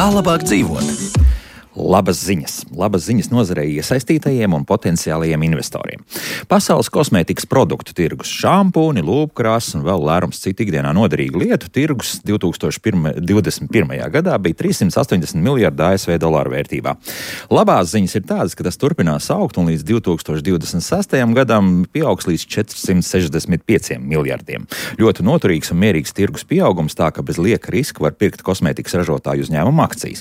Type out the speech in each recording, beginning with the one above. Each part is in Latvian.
Kā labāk dzīvot? Labas ziņas nozarei iesaistītajiem un potenciālajiem investoriem. Pasaules kosmētikas produktu tirgus, šampūni, lūpkrāsas un vēl lērums citu ikdienā noderīgu lietu tirgus 2021. gadā bija 380 miljardi ASV dolāru vērtībā. Labās ziņas ir tādas, ka tas turpinās augt un līdz 2026. gadam pieaugs līdz 465 miljardiem. Ļoti noturīgs un mierīgs tirgus pieaugums, tā ka bez lieka riska var pirkt kosmētikas ražotāju uzņēmumu akcijas.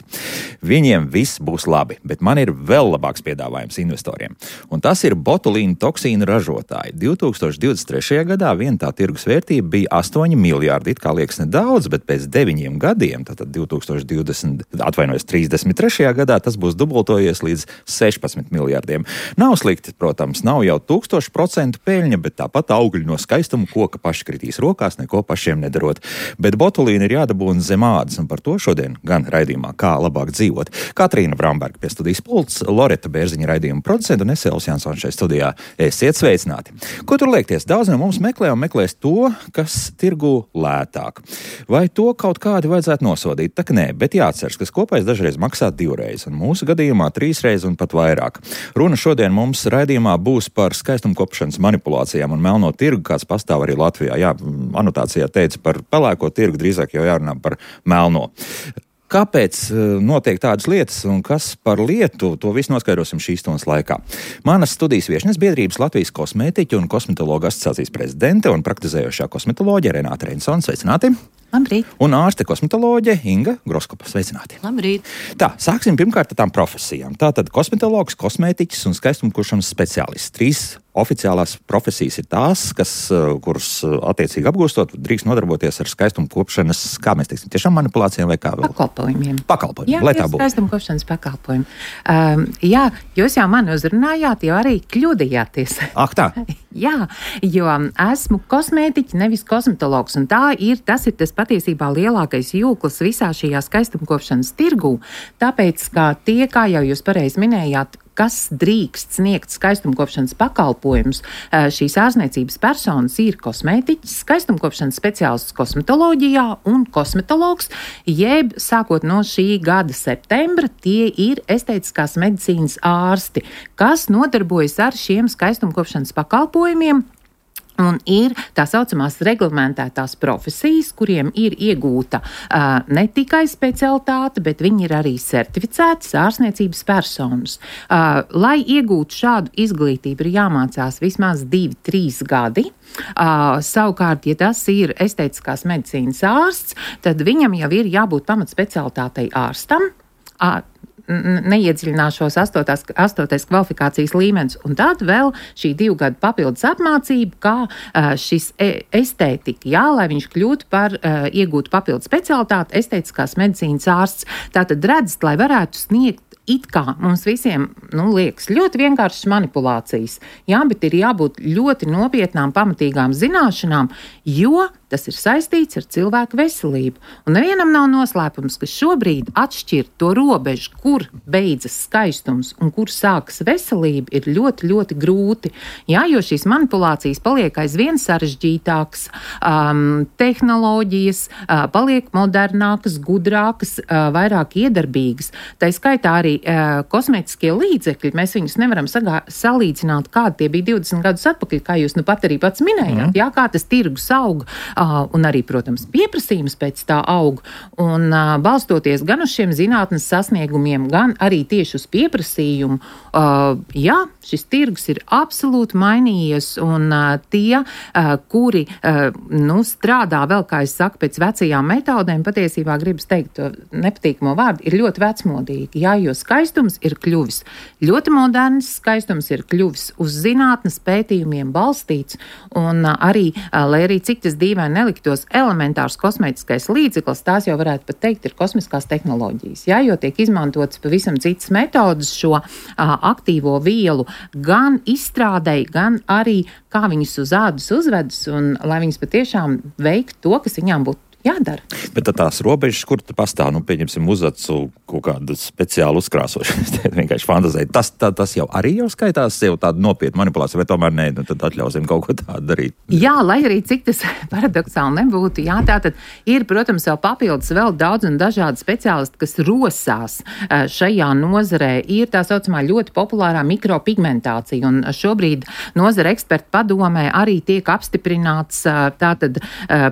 Viņiem viss būs labi, bet man ir vēl labāks piedāvājums investoriem. Un tas ir botulīnu toksīnu ražotāji. 2023. gadā vien tā tirgus vērtība bija 8 miljārdi. It kā liekas nedaudz, bet pēc 9 gadiem, tātad 33. gadā, tas būs dubultojies līdz 16 miljārdiem. Nav slikti, protams, nav jau 1000% peļņa, bet tāpat augļi no skaistuma koka paši kritīs rokās, neko pašiem nedarot. Bet botulīna ir jādabūna zem ādas, un par to šodien gan raidījumā Kā labāk dzīvot. Katrīna Bramberga pie studijas pults, Loreta Bērziņa raidījuma producenta un Esēls Jansons šeit studijā. Esiet sveicināti! Ko tur liekties? Daudz no mums meklē un meklēs to, kas tirgu lētāk. Vai to kaut kādi vajadzētu nosodīt? Tak nē, bet jāatceras, ka kopais dažreiz maksā 2 reizes, un mūsu gadījumā 3 reizes un pat vairāk. Runa šodien mums raidījumā būs par skaistumkopšanas manipulācijām un melno tirgu, kāds pastāv arī Latvijā. Jā, anotācijā teica par pelēko tirgu, drīzāk jau jārunā par melno. Kāpēc notiek tādas lietas un kas par lietu, to visu noskaidrosim šīs stundas laikā. Manas studijas viešņas biedrības Latvijas kosmētiķu un kosmetologu asociācijas prezidente un praktizējošā kosmetoloģe Renāte Reinsone. Sveicināti! Labrīt! Un ārste kosmetoloģe Inga Groskopa. Sveicināti! Labrīt! Tā, sāksim pirmkārt ar tām profesijām. Tātad kosmetologs, kosmētiķis un skaistumkopšanas speciālists. 3 oficiālās profesijas ir tās, kuras attiecīgi apgūstot, drīkst nodarboties ar skaistumkopšanas, kā mēs teiksim, tiešām manipulācijām vai kā vēl? Pakalpojumiem, jā, lai tā būtu. Skaistumkopšanas pakalpojumi. Jā, jūs jau mani uzrunājāt, jo arī kļūdījāties. Ak tā? Jā, jo esmu kosmētiķi, nevis kosmetologs, un tas ir tas patiesībā lielākais jūklis visā šajā skaistumkopšanas tirgū, tāpēc, ka tie, kā jau jūs pareizi minējāt, kas drīkst sniegt skaistumkopšanas pakalpojumus, šīs ārzniecības personas ir kosmētiķis, skaistumkopšanas speciālists kosmetoloģijā un kosmetologs, jeb sākot no šī gada septembra, tie ir estētiskās medicīnas ārsti, kas nodarbojas ar šiem skaistumkopšanas pakalpojumiem. Un ir tā saucamās reglamentētās profesijas, kuriem ir iegūta ne tikai specialitāte, bet viņi ir arī certificētas ārzniecības personas. Lai iegūtu šādu izglītību, ir jāmācās vismaz 2-3 gadi. Savukārt, ja tas ir estētiskās medicīnas ārsts, tad viņam jau ir jābūt pamatspecialitātei ārstam. Neiedziļināšos 8. kvalifikācijas līmenis, un tad vēl šī 2 gadu papildus apmācība, kā šis estētika, jā, lai viņš kļūtu par iegūtu papildus specialitāti, estētiskās medicīnas ārsts. Tātad redzat, lai varētu sniegt it kā mums visiem, liekas, ļoti vienkāršas manipulācijas, jā, bet ir jābūt ļoti nopietnām, pamatīgām zināšanām, jo tas ir saistīts ar cilvēku veselību. Un nevienam nav noslēpums, ka šobrīd atšķirt to robežu, kur beidzas skaistums un kur sākas veselība, ir ļoti, ļoti grūti. Jā, jo šīs manipulācijas paliek aizvien sarežģītākas, tehnoloģijas paliek modernākas, gudrākas, vairāk iedarbīgas. Tā skaitā arī kosmētiskie līdzekļi, mēs viņus nevaram salīdzināt, kādi tie bija 20 gadus atpakaļ, kā jūs pat arī pats minējāt, jā, kā tas tirgus aug. Un arī, protams, pieprasījums pēc tā aug. Un balstoties gan uz šiem zinātnes sasniegumiem, gan arī tieši uz pieprasījumu, jā, šis tirgus ir absolūti mainījies, un tie, kuri strādā vēl, kā es saku, pēc vecajām metodēm, patiesībā gribas teikt to nepatīkamo vārdu, ir ļoti vecmodīgi. Jā, jo skaistums ir kļuvis ļoti moderns, skaistums ir kļuvis uz zinātnes pētījumiem balstīts, un arī, lai arī cik tas dīvaini neliktos elementārs kosmētiskais līdzeklis, tās jau varētu pat teikt ir kosmiskās tehnoloģijas, jā, jo tiek izmantotas pavisam citas metodas šo aktīvo vielu gan izstrādei, gan arī kā viņas uz ādas uzvedas, un lai viņas patiešām veiktu to, kas viņām būtu jādara. Bet tās robežas, kur pastāv, pieņemsim, uzacu kaut kādu speciālu uzkrāsošanu, es vienkārši fantazēju. Tas jau arī skaitās jau tāda nopietna manipulācija, vai tomēr nē, tad atļausim kaut ko tādu darīt? Jā, lai arī cik tas paradoksāli nebūtu, jā, tātad ir, protams, vēl papildus vēl daudz un dažādi speciālisti, kas rosās šajā nozarē. Ir tā saucamā ļoti populārā mikropigmentācija, un šobrīd nozara ekspertu padomē arī tiek apstiprināts tātad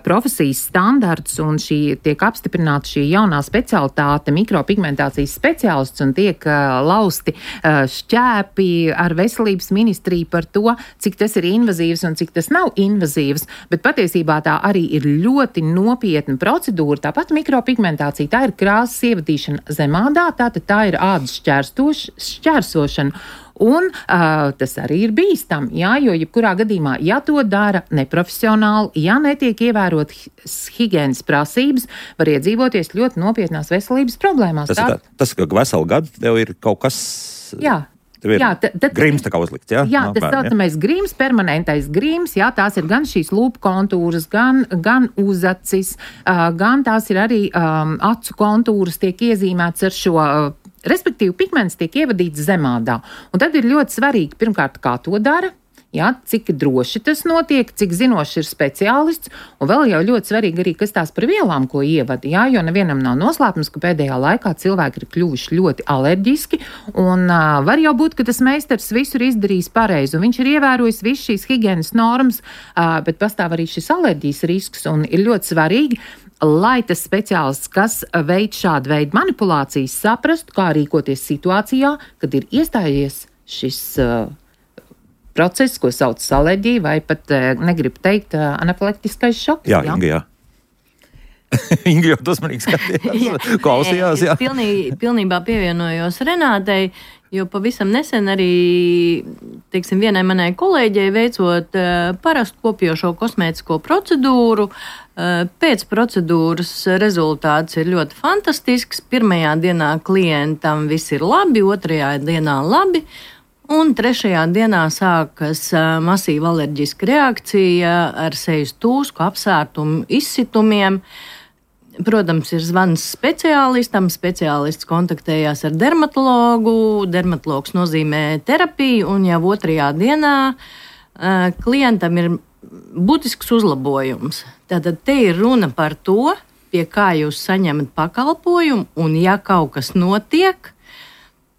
profesijas standarts, un tiek apstiprināta šī jaunā specialitāte mikropigmentācijas speciālists, un tiek lausti šķēpi ar veselības ministriju par to, cik tas ir invazīvs un cik tas nav invazīvs, bet patiesībā tā arī ir ļoti nopietna procedūra. Tāpat mikropigmentācija, tā ir krāsas ievadīšana zemādā, tātad tā ir ādas šķērsošana. Un tas arī ir bīstami, jā, jo jebkurā gadījumā, ja to dara neprofesionāli, ja netiek ievērot higienas prasības, var iedzīvoties ļoti nopietnās veselības problēmās. Tas ka veselu gadu tev ir kaut kas... Jā. Grīms tā kā uzlikts, jā? Jā, tas saucamais grīms, permanentais grīms, jā, tās ir gan šīs lūpu kontūras, gan uzacis, gan tās ir arī acu kontūras tiek iezīmēts ar šo... Respektīvi, pigments tiek ievadīts zemādā. Un tad ir ļoti svarīgi, pirmkārt, kā to dara, jā, cik droši tas notiek, cik zinošs ir speciālists, un vēl jau ļoti svarīgi arī, kas tās par vielām, ko ievada, jā, jo nevienam nav noslēpums, ka pēdējā laikā cilvēki ir kļuvuši ļoti alerģiski, un var jau būt, ka tas meistars visur izdarījis pareizi, un viņš ir ievērojis visu šīs higienas normas, bet pastāv arī šis alerģijas risks, un ir ļoti svarīgi, lai tas speciālists, kas veic šādu veidu manipulācijas, saprastu, kā rīkoties situācijā, kad ir iestājies šis process, ko sauc alerģija, vai pat, negribu teikt, anafilaktiskais šoks. Jā, Inga, jā. Inga jau uzmanīgi skatījās, klausījās, jā. Pilnībā pievienojos Renātei, jo pavisam nesen arī, teiksim, vienai manai kolēģei veicot parastu kopjošo kosmētisko procedūru, pēc procedūras rezultāts ir ļoti fantastisks. Pirmajā dienā klientam viss ir labi, otrajā dienā labi, un trešajā dienā sākas masīva alerģiska reakcija ar sejas tūsku, apsārtumu, izsitumiem. Protams, ir zvans speciālistam, speciālists kontaktējās ar dermatologu, dermatologs nozīmē terapiju, un jau otrajā dienā klientam ir būtisks uzlabojums. Tātad te ir runa par to, pie kā jūs saņemat pakalpojumu, un ja kaut kas notiek,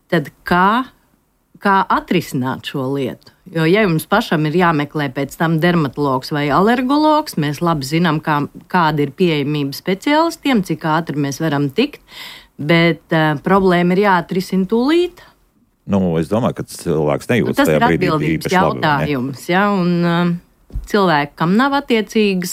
tad kā atrisināt šo lietu. Jo, ja jums pašam ir jāmeklē pēc tam dermatologs vai alergologs, mēs labi zinām, kāda ir pieejamība speciālistiem, cik ātri mēs varam tikt, bet problēma ir jāatrisina tūlīt. Es domāju, ka cilvēks nejūtas tas tajā brīdī. Tas ir atbildības jautājums, ja, un cilvēki, kam nav attiecīgi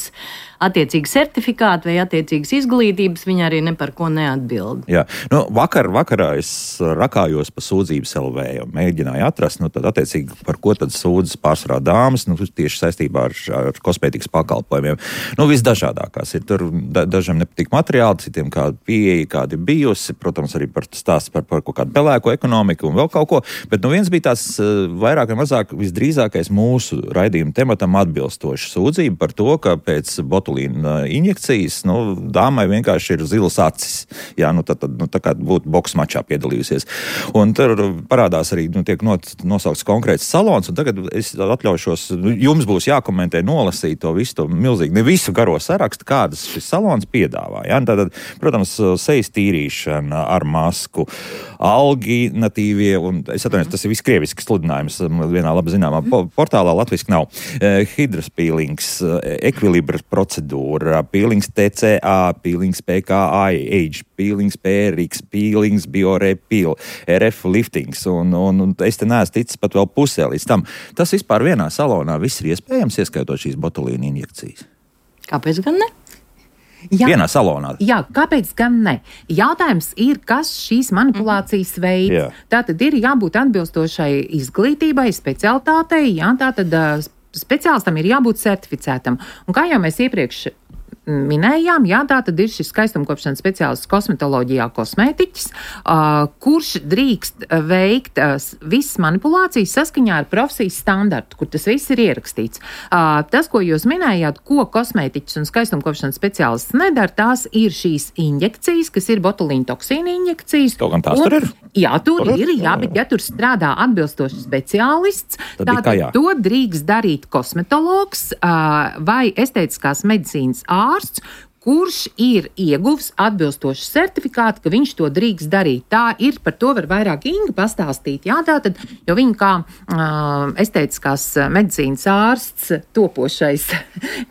certifikāti vai attiecīgas izglītības, viņi arī ne par ko neatbild. Jā, vakarā es rakājos pa sūdzības LV, mēģināju atrast, tad attiecīgi par ko tad sūdzas pārsvarā dāmas, tieši saistībā ar kosmētikas pakalpojumiem. Visdažādākās ir, tur dažiem nepatīk materiāli, citiem kāda pieeja, kāda ir bijusi, protams, arī par stāsts par kaut kādu pelēko ekonomiku un vēl kaut ko, bet viens bija tāds vairāk vai mazāk visdrīzākais mūsu raidījuma tematam atbilstoši sūdzība par to, ka pēc botulīna injekcijas, dāmai vienkārši ir zilas acis. Jā, tā kā būtu boks mačā piedalījusies. Un tur parādās arī, tiek nosaukts konkrēts salons, un tagad es atļaušos, jums būs jākomentē, nolasīt to visu, to milzīgi, ne visu garo sarakstu, kādas šis salons piedāvā. Jā, tātad, protams, sejas tīrīšana ar masku, alginatīvie, un es atvainojos, tas ir viss krievisks sludinājums vienā labi zināmā portālā, latviski nav. Hidras pīlings, ekvilibra procedūra, pīlings TCA, pīlings PKI, pīlings PRX, pīlings biorepīl, RF liftings, un es te neesmu ticis pat vēl pusē līdz tam. Tas vispār vienā salonā viss ir iespējams, ieskaitot šīs botulīna injekcijas. Kāpēc gan ne? Jā, vienā salonā. Jā, kāpēc gan ne? Jautājums ir, kas šīs manipulācijas veids. Jā. Tātad ir jābūt atbilstošai izglītībai, specialitātei, jā, tātad speciālistam ir jābūt certificētam. Un kā jau mēs iepriekš minējām, jā, tā tad ir šis skaistumkopšanas speciālists kosmetoloģijā kosmētiķis, kurš drīkst veikt visas manipulācijas saskaņā ar profesijas standartu, kur tas viss ir ierakstīts. Tas, ko jūs minējāt, ko kosmētiķis un skaistumkopšanas speciālists nedara, tās ir šīs injekcijas, kas ir botulīna toksīna injekcijas. Kaut gan tās tur ir? Jā, tur ir, bet ja tur strādā atbilstoši speciālists, tad to drīkst darīt kosmetologs vai estētiskās medicīnas ārsts, kurš ir ieguvis atbilstošu certifikātu, ka viņš to drīkst darīt. Tā ir, par to var vairāk Inga pastāstīt. Jā, tātad, jo viņa kā estētiskās medicīnas ārsts topošais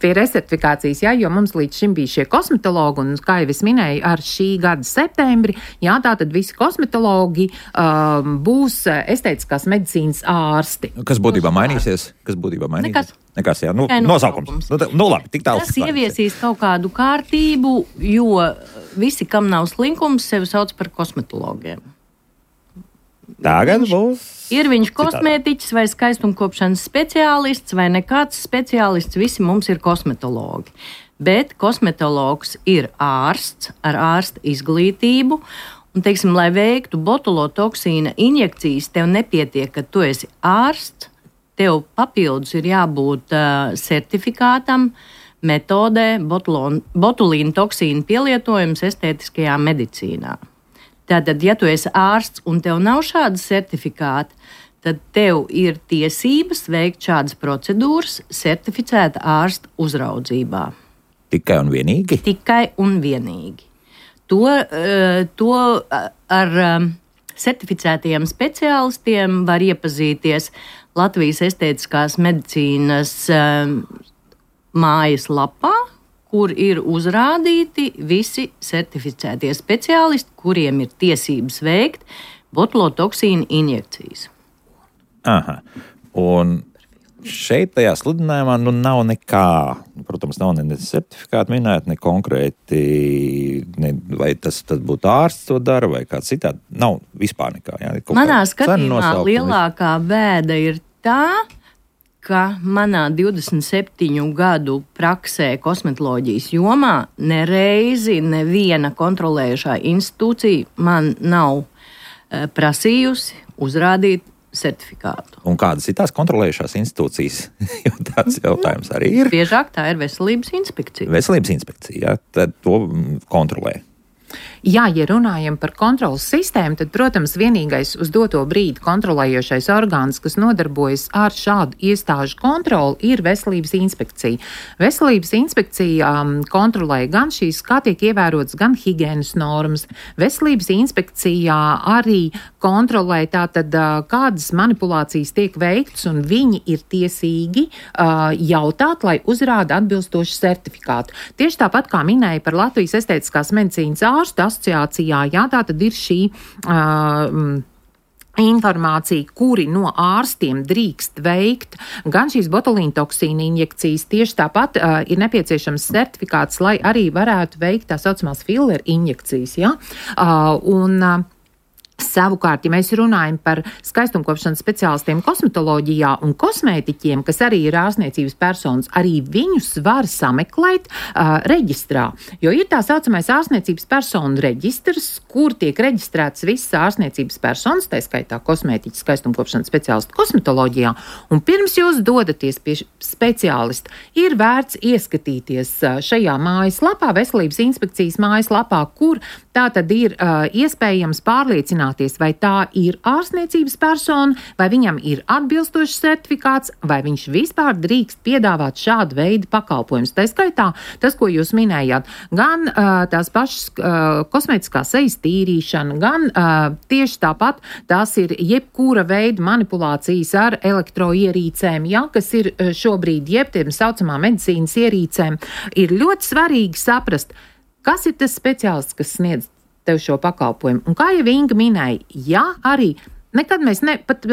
pie resertifikācijas, jā, jo mums līdz šim bija šie kosmetologi, un, kā jau es minēju, ar šī gada septembri, jā, tātad visi kosmetologi būs estētiskās medicīnas ārsti. Kas būtībā mainīsies? Nekas, jā, nosaukums. Labi, tik tālu. Tas ieviesīs kaut kādu kārtību, jo visi, kam nav slinkums, sevi sauc par kosmetologiem. Tagad būs. Ir viņš kosmētiķis vai skaistumkopšanas speciālists vai nekāds speciālists, visi mums ir kosmetologi. Bet kosmetologs ir ārsts ar ārsta izglītību. Un, teiksim, lai veiktu botulotoksīna injekcijas, tev nepietiek, ka tu esi ārsts. Tev papildus ir jābūt certifikātam, metodē, botulīna toksīna pielietojums estētiskajā medicīnā. Tātad, ja tu esi ārsts un tev nav šāda certifikāta, tad tev ir tiesības veikt šādas procedūras certificēta ārsta uzraudzībā. Tikai un vienīgi? Tikai un vienīgi. To ar certificētajiem speciālistiem var iepazīties Latvijas estētiskās medicīnas mājas lapā, kur ir uzrādīti visi certificētie speciālisti, kuriem ir tiesības veikt botulotoksīna injekcijas. Aha. Un šeit tajā sludinājumā nav nekā, protams, nav ne certifikāti minēt, ne konkrēti, vai tas būtu ārsts to dara, vai kāds citādi. Nav vispār nekā. Jā, manā skatījumā lielākā bēda ir tā, ka manā 27 gadu praksē kosmetoloģijas jomā nereizi neviena kontrolējušā institūcija man nav prasījusi uzrādīt certifikātu. Un kādas ir tās kontrolējušās institūcijas? Jo tāds jautājums arī ir. Biežāk tā ir veselības inspekcija. Veselības inspekcija, jā, tad to kontrolē. Jā, ja runājam par kontrolas sistēmu, tad, protams, vienīgais uz doto brīdi kontrolējošais orgāns, kas nodarbojas ar šādu iestāžu kontroli, ir veselības inspekcija. Veselības inspekcija kontrolē gan šīs, kā tiek ievērotas, gan higienas normas. Veselības inspekcijā arī kontrolē tātad, kādas manipulācijas tiek veikts, un viņi ir tiesīgi jautāt, lai uzrāda atbilstošu certifikātu. Tieši tāpat, kā minēja par Latvijas estētiskās medicīnas ārstu asociācijā, jā, tā tad ir šī informācija, kuri no ārstiem drīkst veikt gan šīs botulīna toksīna injekcijas, tieši tāpat ir nepieciešams certifikāts, lai arī varētu veikt tā saucamās filler injekcijas, jā, savukārt, ja mēs runājam par skaistumkopšanas speciālistiem kosmetoloģijā un kosmētiķiem, kas arī ir ārstniecības personas, arī viņus var sameklēt reģistrā. Jo ir tā saucamais ārstniecības personu reģistrs, kur tiek reģistrēts visas ārstniecības personas, tā skaitā kosmētiķis, skaistumkopšanas speciālisti kosmetoloģijā. Un pirms jūs dodaties pie speciālista, ir vērts ieskatīties šajā mājaslapā, veselības inspekcijas mājaslapā, kur tā tad ir iespējams pārliecināt, vai tā ir ārstniecības persona, vai viņam ir atbilstošs certifikāts, vai viņš vispār drīkst piedāvāt šādu veidu pakalpojumus. Tā skaitā tas, ko jūs minējāt, gan tās pašas kosmētiskā sejas tīrīšana, gan tieši tāpat tās ir jebkura veida manipulācijas ar elektroierīcēm, ja, kas ir šobrīd tiem saucamā medicīnas ierīcēm. Ir ļoti svarīgi saprast, kas ir tas speciālists, kas sniedz tev šo pakalpojumu. Un kā jau Inga minēja, jā, arī nekad mēs pat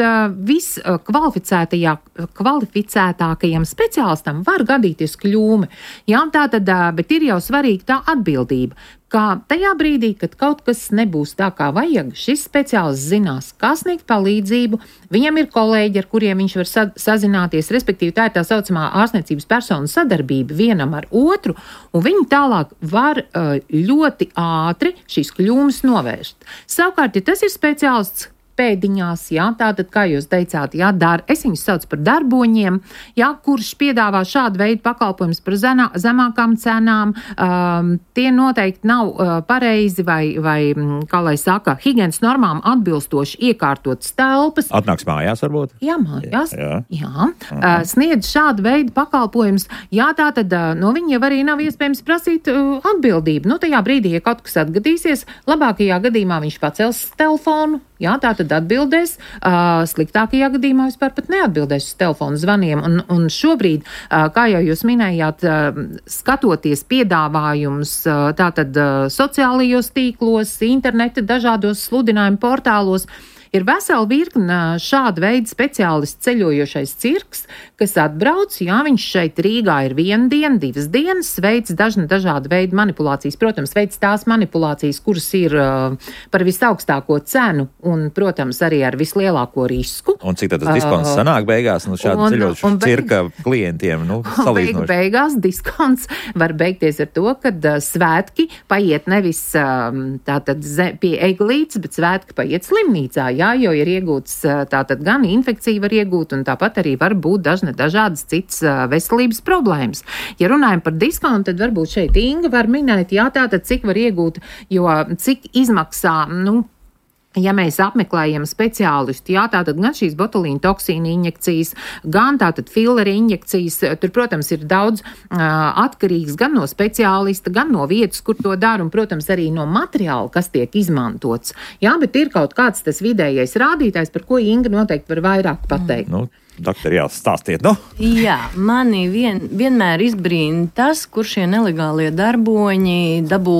kvalificētākajam speciālistam var gadīties kļūme. Jā, tā tad, bet ir jau svarīga tā atbildība. Kā tajā brīdī, kad kaut kas nebūs tā, kā vajag, šis speciālists zinās, kā sniegt palīdzību, viņam ir kolēģi, ar kuriem viņš var sazināties, respektīvi tā ir tā saucamā ārstniecības personu sadarbība vienam ar otru, un viņi tālāk var ļoti ātri šīs kļūmes novērst. Savukārt, ja tas ir speciālists pēdiņās, jā, tātad, kā jūs teicāt, jā, es viņus saucu par darboņiem, jā, kurš piedāvā šādu veidu pakalpojumus par zemākām cenām, tie noteikti nav pareizi vai, kā lai saka, higienas normām atbilstoši iekārtotas telpas. Atnāks mājās, varbūt? Jā, mājās, jā. Sniedz šādu veidu pakalpojumus, jā, tātad no viņa jau arī nav iespējams prasīt atbildību. Nu, tajā brīdī, ja kaut kas atgadīsies, labākajā gadījumā viņš pacels telefonu, jā, tā tad atbildēs, sliktākajā gadījumā vispār pat neatbildēs uz telefonu zvaniem. Un šobrīd, kā jau jūs minējāt, skatoties piedāvājumus tātad sociālajos tīklos, interneta dažādos sludinājumu portālos, ir vesela virkne šāda veida speciālists ceļojošais cirks, kas atbrauc, jā, viņš šeit Rīgā ir 1 diena, 2 dienas, veic dažādu veidu manipulācijas, protams, veic tās manipulācijas, kuras ir par visaugstāko cenu un, protams, arī ar vislielāko risku. Un cik tad tas diskonts sanāk beigās, šādu ceļojušu cirka klientiem, salīdzinoši? Beigās diskonts var beigties ar to, kad svētki paiet nevis tātad pie eglītes, bet svētki paiet slimnīcā, jā, jo ir iegūts tātad gan infekcija var iegūt, un tāpat arī var būt dažādas citas veselības problēmas. Ja runājam par diskontu, tad varbūt šeit Inga var minēt, jā, tātad cik var iegūt, jo cik izmaksā, ja mēs apmeklējam speciālistu, jā, tātad gan šīs botulīna toksīna injekcijas, gan tātad filleri injekcijas, tur, protams, ir daudz atkarīgs gan no speciālista, gan no vietas, kur to dara, un, protams, arī no materiāla, kas tiek izmantots. Jā, bet ir kaut kāds tas vidējais rādītājs, par ko Inga noteikti var vairāk pateikt. Doktori, stāstiet, Jā, mani vienmēr izbrīna tas, kur šie nelegālie darboņi dabū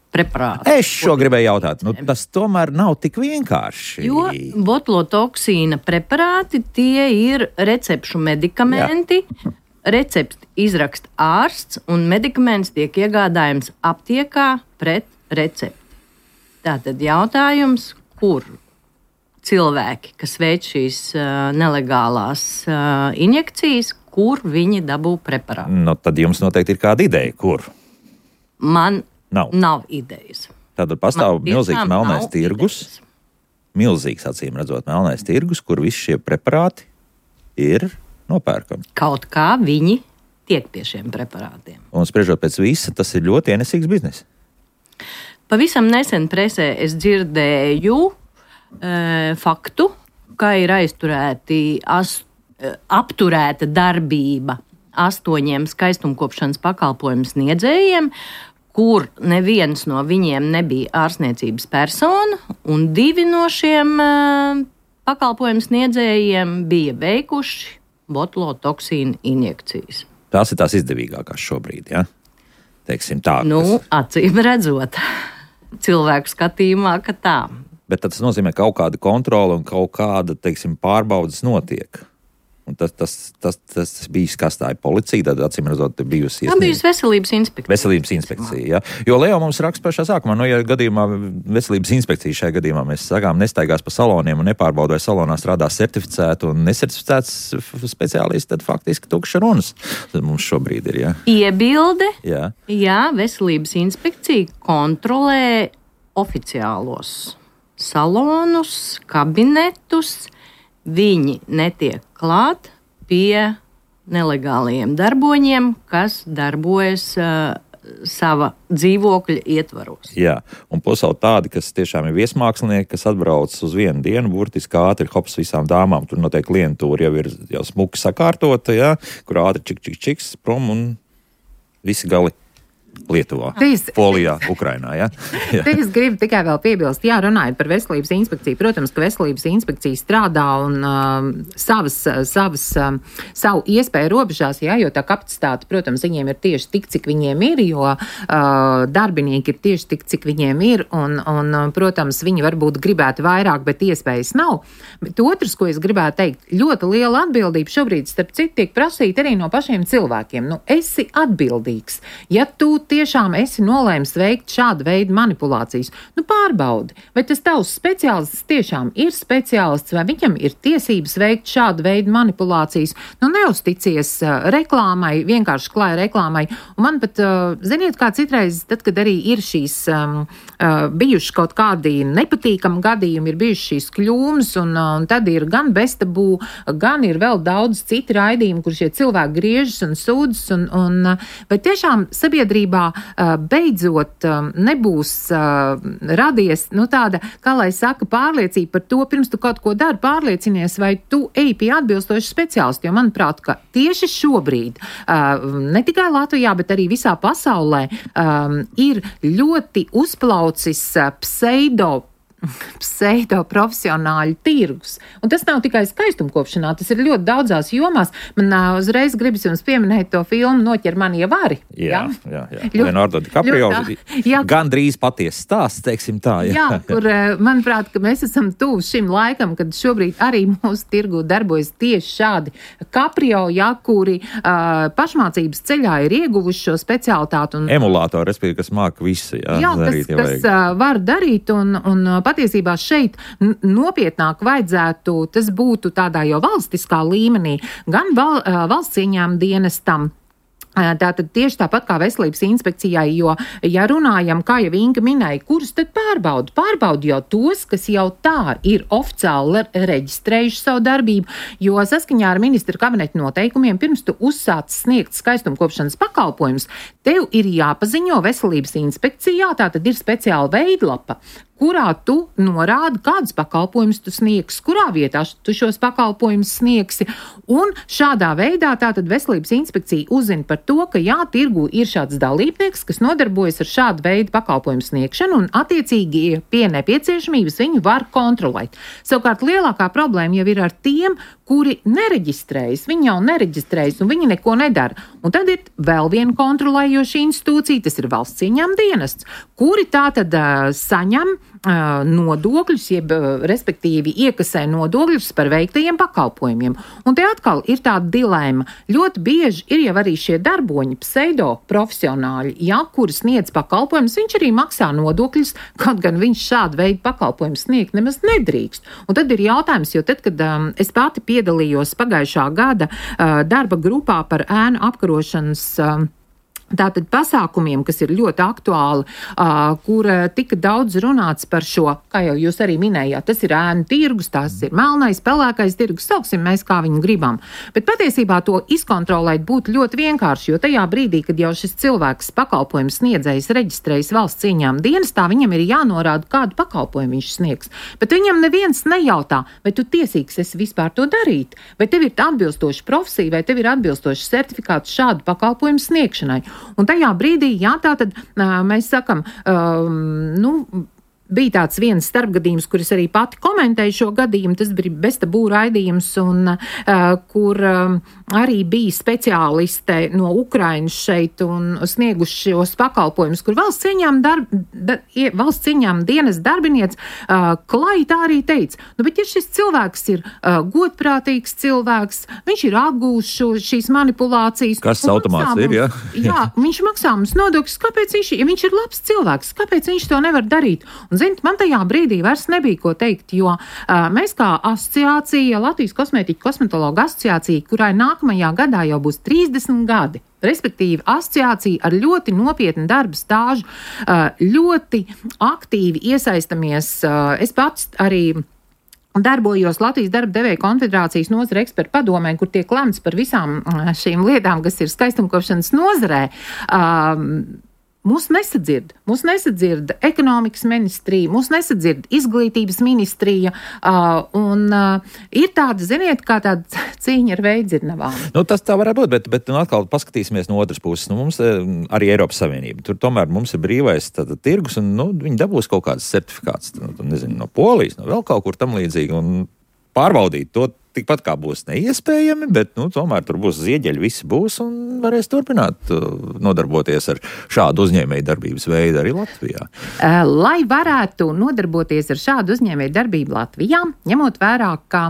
preparāti. Es šo gribēju jautāt. Tas tomēr nav tik vienkārši. Jo botulotoksīna preparāti, tie ir recepšu medikamenti. Jā. Recepti izraksta ārsts, un medikaments tiek iegādājams aptiekā pret recepti. Tātad jautājums, kur cilvēki, kas veic šīs nelegālās injekcijas, kur viņi dabū preparātu? Tad jums noteikti ir kāda ideja, kur? Man nav idejas. Tātad pastāv milzīgs melnais tirgus, milzīgs, acīm redzot, melnais tirgus, kur visi šie preparāti ir nopērkami. Kaut kā viņi tiek pie šiem preparātiem. Un spriežot pēc visa, tas ir ļoti ienesīgs biznes. Pavisam nesen presē es dzirdēju faktu, ka ir apturēta darbība 8 skaistumkopšanas pakalpojumu sniedzējiem, kur neviens no viņiem nebija ārstniecības persona, un 2 no šiem pakalpojumu sniedzējiem bija veikuši botulotoksīna injekcijas. Tās ir tās izdevīgākās šobrīd, ja? Teiksim tā. Acīm redzot, cilvēku skatījumā, ka tā. Bet tas nozīmē, ka kaut kāda kontrole un kaut kāda, teiksim, pārbaudas notiek. Un tas bijis, kas tā ir policija, tad acīm redzot, bijusi iesniegta. Tā bijusi veselības inspekcija. Veselības inspekcija, jā. Jo Leo mums raksta pašā sākumā, ja gadījumā veselības inspekcija šajā gadījumā mēs sakām nestaigās pa saloniem un nepārbauda, vai salonā strādā certificētu un necertificēts speciālisti, tad faktiski tukša runas. Tad mums šobrīd ir, jā. Iebilde, jā, veselības inspekcija kontrolē oficiālos salonus, kabinetus, viņi netiek klāt pie nelegāliem darboņiem, kas darbojas sava dzīvokļa ietvaros. Jā, un plus vēl tādi, kas tiešām ir viesmākslinieki, kas atbrauc uz 1 dienu, burtiski ātri hops visām dāmām. Tur noteikti klientūra jau ir smuki sakārtota, jā, kur ātri čiks prom un visi gali Lietuvā, Polijā, Ukrainā, ja? Te es gribu tikai vēl piebilst, runājot par veselības inspekciju. Protams, ka veselības inspekcija strādā un savu iespēju robežās, jo tā kapacitāte, protams, viņiem ir tieši tik, cik viņiem ir, jo darbinieki ir tieši tik, cik viņiem ir, un protams, viņi varbūt gribētu vairāk, bet iespējas nav. Bet otrs, ko es gribētu teikt, ļoti liela atbildība šobrīd, starp citu, tiek prasīta arī no pašiem cilvēkiem. Esi atbildīgs. Ja tu tiešām esi nolēmis veikt šādu veidu manipulācijas. Pārbaudi, vai tas tavs speciālists tiešām ir speciālists, vai viņam ir tiesības veikt šādu veidu manipulācijas. Neusticies reklāmai, vienkārši klāja reklāmai. Un man pat, ziniet, kā citreiz, tad, kad arī ir šīs bijuši kaut kādi nepatīkami gadījumi, ir bijuši šīs kļūmes, un tad ir gan beztabū, gan ir vēl daudz citi raidījumi, kur šie cilvēki griežas un sūdzas, vai tiešām sabiedrībā beidzot nebūs radies, tāda, kā lai saka, pārliecība par to, pirms tu kaut ko dari, pārliecinies, vai tu ej pie atbilstoši speciālisti, jo manuprāt, ka tieši šobrīd, ne tikai Latvijā, bet arī visā pasaulē, ir ļoti uzplaucis pseido-profesionāļu tirgus. Un tas nav tikai skaistumkopšanā, tas ir ļoti daudzās jomās. Man uzreiz gribas jums pieminēt to filmu Noķer mani, ja vari. Jā. Leonardo DiCaprio. Gan drīz patiesa stāsts, teiksim tā. Jā, kur, manuprāt, ka mēs esam tuvu šim laikam, kad šobrīd arī mūsu tirgu darbojas tieši šādi Caprio, kuri pašmācības ceļā ir ieguvuši šo specialitāti. Emulātori, respektīvi, kas māca visu. Kas var darīt un patiesībā šeit nopietnāk vajadzētu, tas būtu tādā jau valstiskā līmenī, gan valsts ieņēmuma dienestam. Tātad tieši tāpat kā veselības inspekcijai, jo, ja runājam, kā jau Inga minēja, kurus tad pārbaudu? Pārbaudu jau tos, kas jau tā ir oficiāli reģistrējuši savu darbību, jo saskaņā ar ministra kabineta noteikumiem, pirms tu uzsāc sniegt skaistumkopšanas pakalpojumus, tev ir jāpaziņo veselības inspekcijā, tātad ir speciāla veidlapa, kurā tu norādi, kādus pakalpojumus tu sniegsi, kurā vietā tu šos pakalpojumus sniegsi. Un šādā veidā tātad veselības inspekcija uzzina par to, ka tirgu ir šāds dalībnieks, kas nodarbojas ar šādu veidu pakalpojumu sniegšanu, un attiecīgi pie nepieciešamības viņu var kontrolēt. Savukārt lielākā problēma jau ir ar tiem, kuri nereģistrējas, viņi jau nereģistrējas, un viņi neko nedara. Un tad ir vēl viena kontrolējoša institūcija, tas ir valsts ieņēmuma dienests, kuri tātad saņem nodokļus, jeb respektīvi iekasē nodokļus par veiktajiem pakalpojumiem. Un te atkal ir tāda dilēma. Ļoti bieži ir jau arī šie darboņi, pseido profesionāļi, kuri sniedz pakalpojumus, viņš arī maksā nodokļus, kaut gan viņš šādu veidu pakalpojumus sniegt nemaz nedrīkst. Un tad ir jautājums, jo tad, kad es pati piedalījos pagājušā gada darba grupā par ēnu apkarošanas tātad pasākumiem, kas ir ļoti aktuāli, kur tika daudz runāts par šo, kā jau jūs arī minējāt, tas ir ēnu tirgus, tas ir melnais, pelēkais tirgus, sauksim mēs kā viņu gribam. Bet patiesībā to izkontrolēt būtu ļoti vienkārši, jo tajā brīdī, kad jau šis cilvēks pakalpojums sniedzējs reģistrējas valsts ieņēmuma dienestā, viņam ir jānorāda, kādu pakalpojumu viņš sniegs. Bet viņam neviens nejautā, vai tu tiesīgs esi vispār to darīt, vai tev ir atbilstoša profesija, vai tev ir atbilstošs certifikāts šādu pakalpojumu sniegšanai. Un tajā brīdī, tātad mēs sakam, bija tāds viens starpgadījums, kur es arī pati komentēju šo gadījumu, tas bija beztabū raidījums, un kur arī bija speciāliste no Ukrainas šeit un snieguši šos pakalpojumus, kur valsts ieņēmuma dienas darbinieks klāji tā arī teica, bet ja šis cilvēks ir godprātīgs cilvēks, viņš ir apgūs šīs manipulācijas. Kas automāts ir, jā? Jā, viņš maksā mums nodokļus, kāpēc ja viņš ir labs cilvēks, kāpēc viņš to nevar darīt? Un, ziniet, man tajā brīdī vairs nebija ko teikt, jo mēs kā asociācija, Latvijas kosmetologu asociācija, kurai nākamajā gadā jau būs 30 gadi, respektīvi asociācija ar ļoti nopietnu darba stāžu, ļoti aktīvi iesaistamies. Es pats arī darbojos Latvijas darba devēja konfederācijas nozara ekspertu padomē, kur tiek lemts par visām šīm lietām, kas ir skaistumkopšanas nozarē. Mūs nesadzird ekonomikas ministrija, mūs nesadzird izglītības ministrija, un ir tāda, ziniet, kā tāda cīņa ar veidzirnavām. Tas tā varētu būt, bet atkal paskatīsimies no otras puses. Mums arī Eiropas Savienība. Tur tomēr mums ir brīvais tirgus, un viņi dabūs kaut kādas certifikāts, no Polijas, no vēl kaut kur tam līdzīgi, un pārbaudīt to tikpat kā būs neiespējami, bet tomēr tur būs zieģeļi, visi būs un varēs turpināt nodarboties ar šādu uzņēmēju darbības veidu arī Latvijā. Lai varētu nodarboties ar šādu uzņēmēju darbību Latvijā, ņemot vērā, ka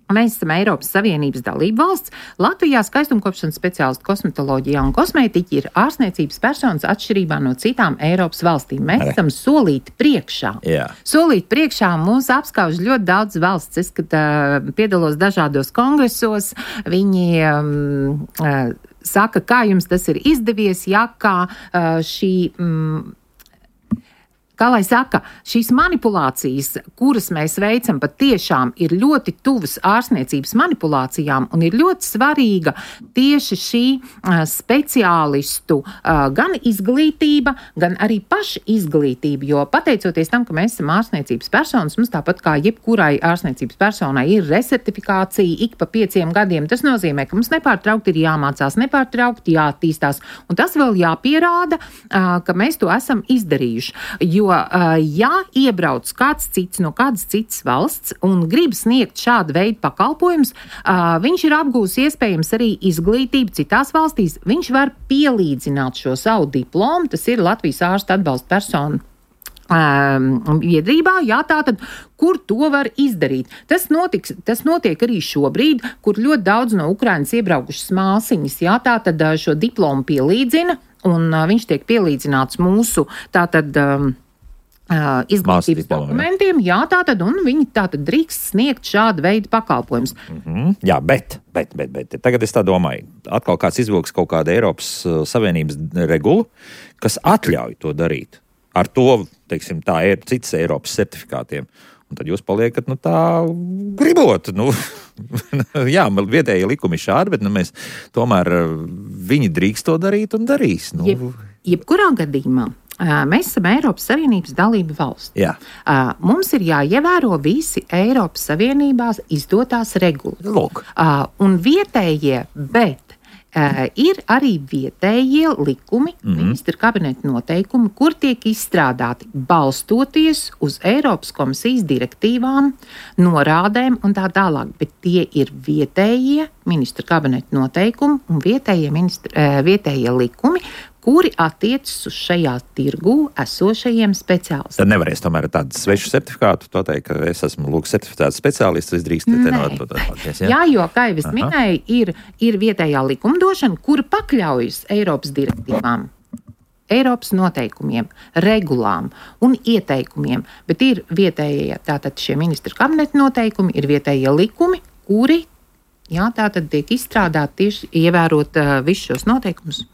Mēs esam Eiropas Savienības dalība valsts. Latvijā skaistumkopšanas speciālisti kosmetoloģijā un kosmētiķi ir ārstniecības personas atšķirībā no citām Eiropas valstīm. Mēs esam solīti priekšā. Jā. Solīti priekšā mūs apskauž ļoti daudz valsts. Es, kad piedalos dažādos kongresos, viņi saka, kā jums tas ir izdevies, ja kā šī... Kā lai saka, šīs manipulācijas, kuras mēs veicam, patiešām ir ļoti tuvas ārstniecības manipulācijām un ir ļoti svarīga tieši šī speciālistu gan izglītība, gan arī paša izglītība, jo pateicoties tam, ka mēs esam ārstniecības personas, mums tāpat kā jebkurai ārstniecības personai ir resertifikācija ik pa 5 gadiem. Tas nozīmē, ka mums nepārtraukti ir jāmācās, nepārtraukti jāattīstās, un tas vēl jāpierāda, ka mēs to esam izdarījuši. Jo, ja iebrauc kāds cits no kādas citas valsts un grib sniegt šādu veidu pakalpojumus, viņš ir apgūs iespējams arī izglītību citās valstīs. Viņš var pielīdzināt šo savu diplomu, tas ir Latvijas ārsta atbalsta personu biedrībā, jā, tātad, kur to var izdarīt. Tas notiek arī šobrīd, kur ļoti daudz no Ukrainas iebraukušas māsiņas, jā, tātad šo diplomu pielīdzina, un viņš tiek pielīdzināts mūsu, tātad, izglītības dokumentiem, jā, tātad, un viņi tātad drīkst sniegt šādu veidu pakalpojumus. Jā, bet, tagad es tā domāju, atkal kāds izvilks kaut kādu Eiropas Savienības regulu, kas atļauj to darīt. Ar to, teiksim, tā ir citas Eiropas certifikātiem. Un tad jūs paliekat, tā gribot. Jā, vietējie likumi šādi, bet mēs tomēr viņi drīkst to darīt un darīs. Jebkurā gadījumā. Mēs esam Eiropas Savienības dalība valsts. Jā. Mums ir jāievēro visi Eiropas Savienībās izdotās regulas. Lūk. Un vietējie, bet ir arī vietējie likumi, ministra kabineta noteikumi, kur tiek izstrādāti balstoties uz Eiropas komisijas direktīvām, norādēm un tā tālāk. Bet tie ir vietējie ministra kabineta noteikumi un vietējie likumi, kuri attiecas uz šajā tirgū esošajiem speciālistiem. Tad nevarēs tomēr tādu svešu certifikātu, to teikt, ka es esmu certificēts speciālists, es drīkst tenot. Jā, jo, kā jau es minēju, ir vietējā likumdošana, kura pakļaujas Eiropas direktīvām, Eiropas noteikumiem, regulām un ieteikumiem, bet ir vietējie, tātad šie ministra kabineta noteikumi, ir vietējie likumi, kuri, jā, tātad tiek izstrādāti tieši ievērot visus šos noteikumus.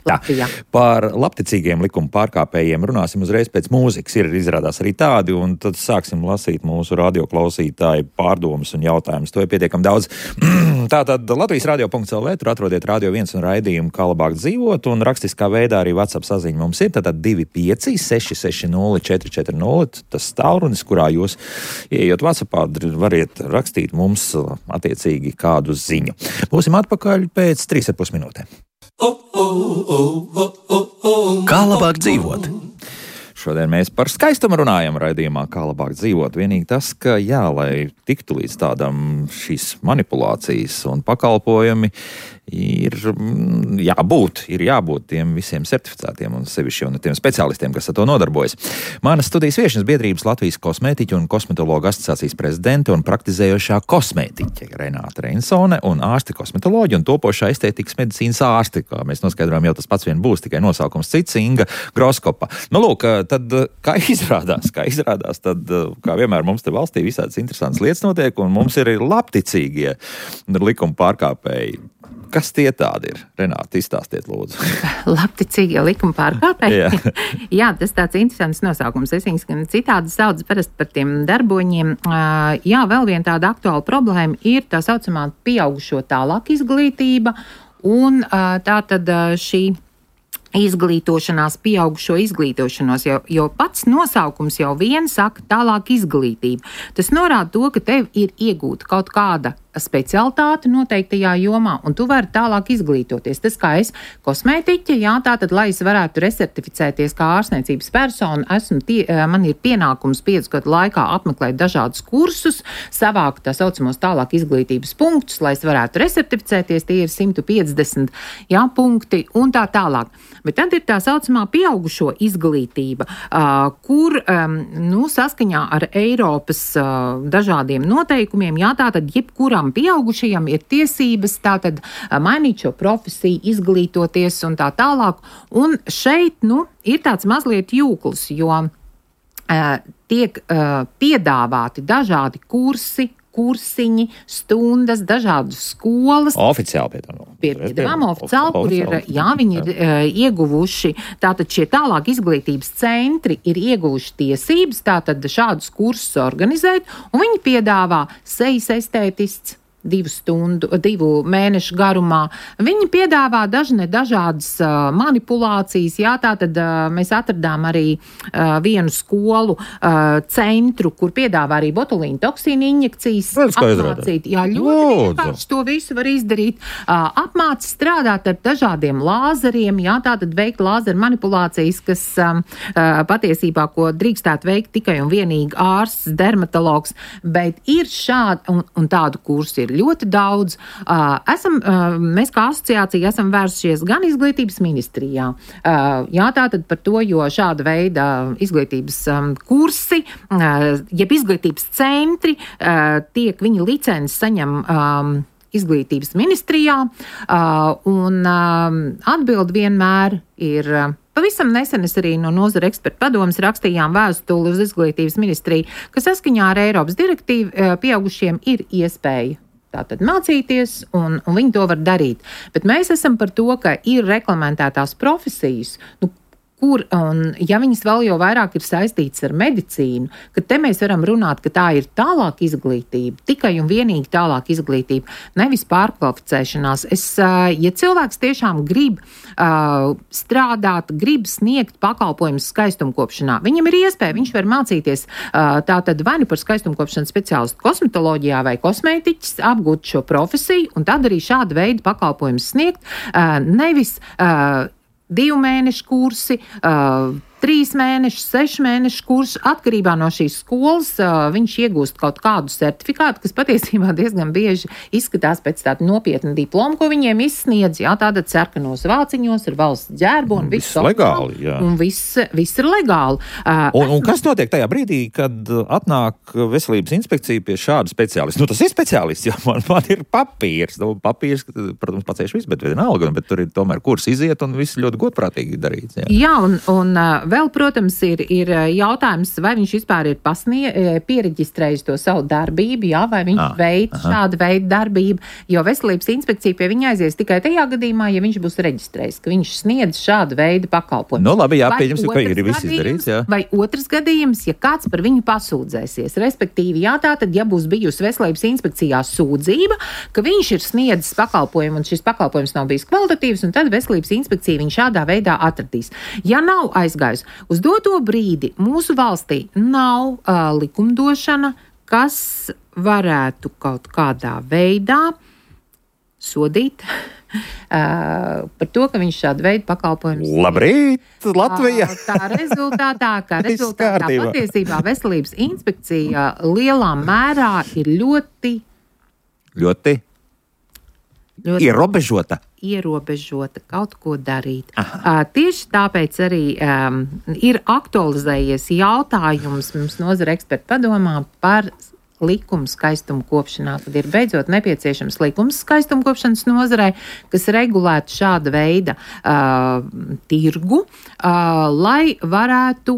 Latvijā. Par labticīgiem likuma pārkāpējiem runāsim uzreiz pēc mūzikas. Ir izrādās arī tādi, un tad sāksim lasīt mūsu radioklausītāju pārdomas un jautājumus. To ir pietiekami daudz. Tātad Latvijas radio.lv, tur atrodiet Radio 1 un raidījumu Kā labāk dzīvot, un rakstiskā veidā arī WhatsApp saziņa mums ir. Tātad 25 660 440, tas tālrunis, kurā jūs, ieejot WhatsAppā, variet rakstīt mums attiecīgi kādu ziņu. Būsim atpakaļ pēc 3,5 minūtēm. Kā labāk dzīvot? Šodien mēs par skaistumu runājam raidījumā Kā labāk dzīvot. Vienīgi tas, ka jā, lai tiktu līdz tādam šīs manipulācijas un pakalpojumi, ir jābūt tiem visiem certificētiem un sevišķi un tiem speciālistiem, kas ar to nodarbojas. Manas studijas viešņas biedrības Latvijas kosmētiķu un kosmetologu asociācijas prezidente un praktizējošā kosmētiķe Renāta Reinsone un ārsti kosmetoloģi un topošā estētikas medicīnas ārsti, kā mēs noskaidrojam, jau tas pats vien būs, tikai nosaukums cits, Inga Groskopa. Lūk, tad kā izrādās, tad, kā vienmēr mums te valstī visādas interesantas lietas notiek, un mums ir labticīgie likuma pārkāpēji. Kas tie tādi ir? Renāta, izstāstiet, lūdzu. Labticīgie likuma pārkāpēji? Jā, tas tāds interesants nosaukums. Es viņus gan citādi sauc parasti par tiem darboņiem. Jā, vēl viena tāda aktuāla problēma ir tā saucamā pieaugušo tālāk izglītība, un tātad šī izglītošanās, pieaugušo izglītošanos, jo pats nosaukums jau vien saka tālāk izglītība. Tas norāda to, ka tev ir iegūta kaut kāda specialitāti noteiktajā jomā, un tu vari tālāk izglītoties. Tas kā es kosmētiķe, jā, tātad, lai es varētu resertificēties kā ārstniecības persona, man ir pienākums 5 gadu laikā apmeklēt dažādus kursus, savākt tā saucamos tālāk izglītības punktus, lai es varētu resertificēties, tie ir 150 punkti un tā tālāk. Bet tad ir tā saucamā pieaugušo izglītība, kur saskaņā ar Eiropas dažādiem noteikumiem, jā, tātad jebkuram pieaugušajam ir tiesības tātad mainīt šo profesiju, izglītoties un tā tālāk. Un šeit, ir tāds mazliet jūklis, jo tiek piedāvāti dažādi kursiņi, stundas, dažādas skolas. Oficiāli piedāvājumi oficiāli, kur viņi ir ieguvuši, tātad šie tālāk izglītības centri ir ieguvuši tiesības, tātad šādus kursus organizēt, un viņi piedāvā sejas estētists 2 mēnešu garumā. Viņi piedāvā dažādas manipulācijas, jā, tātad mēs atradām arī vienu skolu centru, kur piedāvā arī botulīnu toksīnu injekcijas. Apmācīt, jā, ļoti vienkārši to visu var izdarīt. Apmācīt strādāt ar dažādiem lāzeriem, jā, tātad veikt lāzeru manipulācijas, kas patiesībā, ko drīkstētu veikt tikai un vienīgi ārsts, dermatologs, bet ir šādi, un tādu kursu ir ļoti daudz. Mēs kā asociācija esam vērsušies gan izglītības ministrijā. Jā, tātad par to, jo šāda veida izglītības kursi, jeb izglītības centri, viņa licences saņem izglītības ministrijā, un atbildi vienmēr ir. Pavisam nesen es arī no nozara ekspertu padomes rakstījām vēstuli uz izglītības ministriju, ka saskaņā ar Eiropas direktīvu pieaugušiem ir iespēja tātad mācīties, un viņi to var darīt. Bet mēs esam par to, ka ir reglamentētās profesijas, kur, un ja viņas vēl jau vairāk ir saistītas ar medicīnu, ka te mēs varam runāt, ka tā ir tālāk izglītība, tikai un vienīgi tālāk izglītība, nevis pārkvalificēšanās. Ja cilvēks tiešām grib strādāt, grib sniegt pakalpojumus skaistumkopšanā, viņam ir iespēja, viņš var mācīties tātad vai nu par skaistumkopšanas speciālistu kosmetoloģijā vai kosmētiķis, apgūt šo profesiju, un tad arī šāda veida pakalpojumus sniegt, nevis 2 mēnešu kursi, 3 mēnešu, 6 mēnešu kursu, atkarībā no šīs skolas viņš iegūst kaut kādu certifikātu, kas patiesībā diezgan bieži izskatās pēc tāda nopietna diploma, ko viņiem izsniedz, jā, tāda sarkanos vāciņos ar valsts ģērbu un viss legāli, jā. Un viss ir legāli. Un kas notiek tajā brīdī, kad atnāk veselības inspekcija pie šāda speciālista? Tas ir speciālists, jo man ir papīrs. Papīrs, protams, pacēš viss, bet vienalga, bet tur ir tomēr kurs iziet un viss ļoti godprātīgi darīts. Jā, un vēl, protams, ir jautājums, vai viņš vispār ir piereģistrējis to savu darbību, jā, vai viņš veic šādu veidu darbību, jo veselības inspekcija pie viņa aizies tikai tajā gadījumā, ja viņš būs reģistrējis, ka viņš sniedz šādu veidu pakalpojumu. Labi, jā, pieņemsim, ka ir viss izdarīts, jā. Vai otrs gadījums, ja kāds par viņu pasūdzēsies, respektīvi, jā, tātad, ja būs bijusi veselības inspekcijā sūdzība, ka viņš ir sniedzis pakalpojumu un šis pakalpojums nav bijis kvalitatīvs, un tad veselības inspekcija viņu šādā veidā atradīs. Ja nav aizgājis uz doto brīdi, mūsu valstī nav likumdošana, kas varētu kaut kādā veidā sodīt par to, ka viņš šādu veidu pakalpojumus. Labrīt, Latvija! Tā rezultātā patiesībā veselības inspekcija lielā mērā ir ļoti ierobežota kaut ko darīt. Tieši tāpēc arī ir aktualizējies jautājums mums nozara ekspertu padomā par likumu skaistumkopšanā, kad ir beidzot nepieciešams likums skaistumkopšanas nozarei, kas regulētu šāda veida tirgu, lai varētu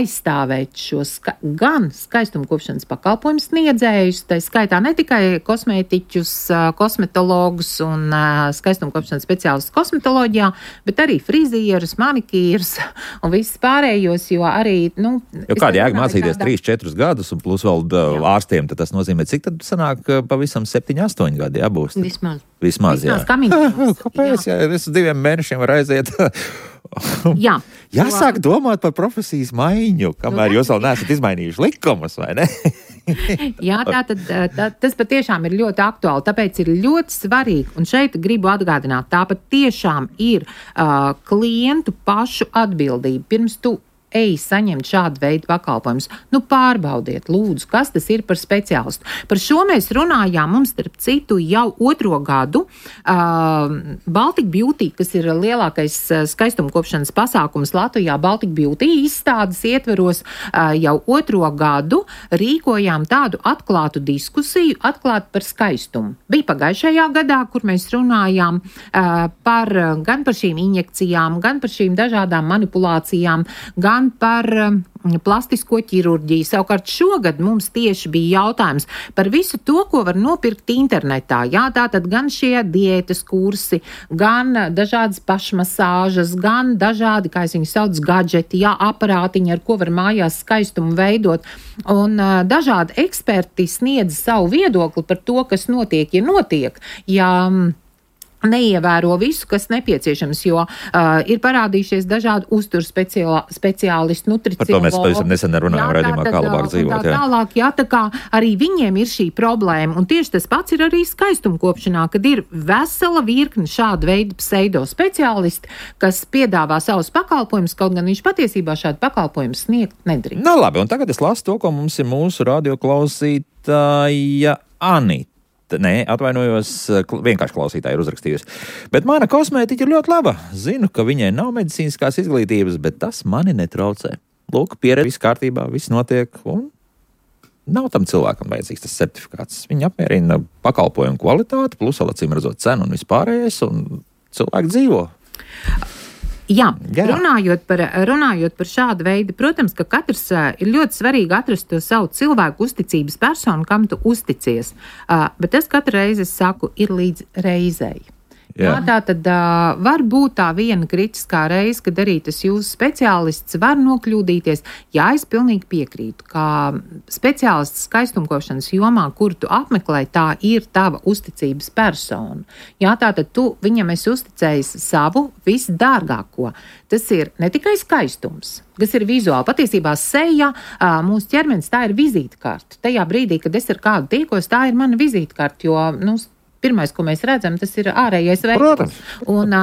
aizstāvēt šos gan skaistumkopšanas pakalpojumu sniedzējus, tā skaitā ne tikai kosmētiķus, kosmetologus un skaistumkopšanas speciālistus kosmetoloģijā, bet arī frizierus, manikīrus un visus pārējos, jo arī, jo kādi jēga mācīties 3-4 gadus un plus vēl ārstiem, tad tas nozīmē, cik tad sanāk pavisam 7-8 gadi jābūs? Vismaz, jā. Kāpēc? Jā, es 2 mēnešiem var aiziet. Jā. Jāsāk domāt par profesijas maiņu, kamēr jūs vēl neesat izmainījuši likumus, vai ne? Jā, tas patiešām ir ļoti aktuāli, tāpēc ir ļoti svarīgi, un šeit gribu atgādināt, tā patiešām ir klientu pašu atbildība. Pirms tu ej saņemt šādu veidu pakalpojumus. Nu, pārbaudiet, lūdzu, kas tas ir par speciālistu. Par šo mēs runājām, mums, starp citu, jau 2. gadu. Baltic Beauty, kas ir lielākais skaistumkopšanas pasākums Latvijā, Baltic Beauty izstādes ietveros jau 2. gadu rīkojām tādu atklātu diskusiju, atklātu par skaistumu. Bija pagājušajā gadā, kur mēs runājām gan par šīm injekcijām, gan par šīm dažādām manipulācijām, gan par plastisko ķirurģiju. Savukārt šogad mums tieši bija jautājums par visu to, ko var nopirkt internetā. Jā, tātad gan šie diētas kursi, gan dažādas pašmasāžas, gan dažādi, kā es viņu sauc, gadžeti, jā, aparātiņi, ar ko var mājās skaistumu veidot. Un dažādi eksperti sniedz savu viedokli par to, kas notiek, ja notiek. Ja neievēro visu, kas nepieciešams, jo ir parādījušies dažādi uzturu speciālisti, nutricionologi. Par to mēs pavisam nesen runājām raidījumā, kā labāk dzīvot. Tālāk, jā, tā kā arī viņiem ir šī problēma, un tieši tas pats ir arī skaistumkopšanā, kad ir vesela virkne šāda veida pseido speciālisti, kas piedāvā savus pakalpojumus, kaut gan viņš patiesībā šādu pakalpojumu sniegt nedrīkst. Nu labi, un tagad es lasu to, ko mums ir mūsu radioklausītāja Anita. Nē, atvainojos, vienkārši klausītāji ir uzrakstījusi. Bet mana kosmētiķa ir ļoti laba. Zinu, ka viņai nav medicīniskās izglītības, bet tas mani netraucē. Lūk, pieredze, viss kārtībā, viss notiek, un nav tam cilvēkam vajadzīgs tas certifikāts. Viņi apmierina pakalpojumu kvalitāti, plus vēl acīm redzot cenu un vispārējais, un cilvēki dzīvo. Jā. Runājot par šādu veidu, protams, ka katrs ir ļoti svarīgi atrast to savu cilvēku uzticības personu, kam tu uzticies. Bet es katru reizi saku, ir līdz reizei. Jā, tā tad var būt tā viena kritiskā reize, kad arī tas jūsu speciālists var nokļūdīties. Jā, es pilnīgi piekrītu, ka speciālists skaistumkopšanas jomā, kur tu apmeklē, tā ir tava uzticības persona. Jā, tā tad tu viņam esi uzticējis savu visdārgāko. Tas ir ne tikai skaistums, kas ir vizuāli. Patiesībā seja, mūsu ķermenis, tā ir vizītkarte. Tajā brīdī, kad es ar kādu tiekos, tā ir mana vizītkarte, jo, pirmais, ko mēs redzam, tas ir ārējais veids. Un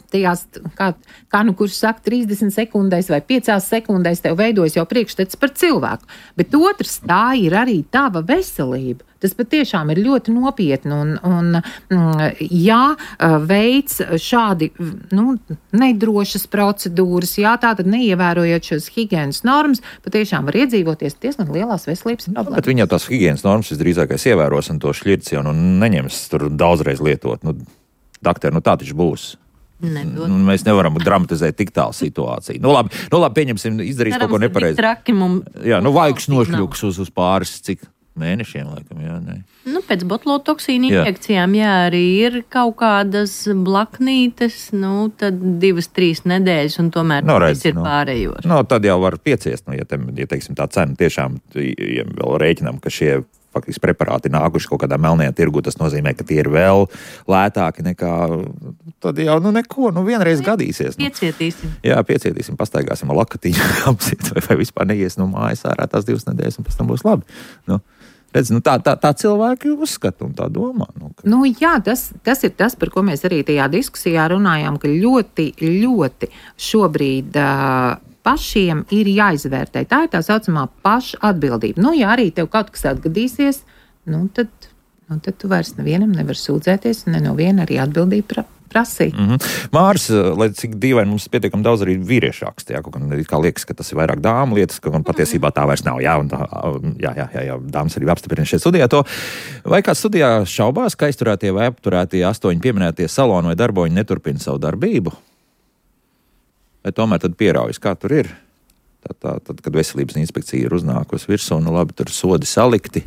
tajās, kā kurš saka, 30 sekundēs vai 5 sekundēs tev veidojas jau priekšstats par cilvēku. Bet otrs, tā ir arī tava veselība. Tas patiešām ir ļoti nopietni un veids šādi nedrošas procedūras, tātad neievērojot šos higienas normas, patiešām var iedzīvoties diezgan lielās veselības problēmas. Bet viņa tās higienas normas visdrīzākais ievēros un to šļircienu neņems tur daudzreiz lietot. Daktari, tā taču būs. Mēs nevaram dramatizēt tik tālu situāciju. Labi, pieņemsim, izdarīs kaut ko nepareizi. Jā, vaigs nošļuks uz pāris cik mēnešiem, laikam, jā, nē. Pēc botulotoksīna injekcijām, arī ir kaut kādas blaknītes, tad 2-3 nedēļas, un tomēr viss ir pārējos. Tad jau var pieciest, ja teiksim, tā cena tiešām, ja vēl rēķinām, ka šie faktiski preparāti nākuši kaut kādā melnajā tirgu, tas nozīmē, ka tie ir vēl lētāki nekā, tad jau neko, vienreiz gadīsies. Piecietīsim. Jā, piecietīsim, pastaigāsim ar lakatiņu, apsiet, vai vispār neies no mājas ārā tās 2 nedēļas, un pēc tam būs labi. Redz, tā cilvēki uzskata un tā domā. Jā, tas ir tas, par ko mēs arī tajā diskusijā runājām, ka ļoti, ļoti šobrīd pašiem ir jāizvērtē. Tā ir tā saucamā paša atbildība. Ja arī tev kaut kas atgadīsies, tad tu vairs nevienam nevar sūdzēties un ne no viena arī atbildību prasīt. Māris, lai cik dīvaini mums pietiekam daudz arī vīriešu raksta, kā liekas, ka tas ir vairāk dāmu lietas, ka patiesībā tā vairs nav. Jā, dāmas arī apstiprina šeit studijā to. Vai kāds studijā šaubās, ka aizturētie vai apturētie 8 pieminētie saloni vai darboņi neturpina savu darbību? Vai tomēr tad pieraujas, kā tur ir? Tad, kad veselības inspekcija ir uznākusi virsū, labi, tur sodi salikti.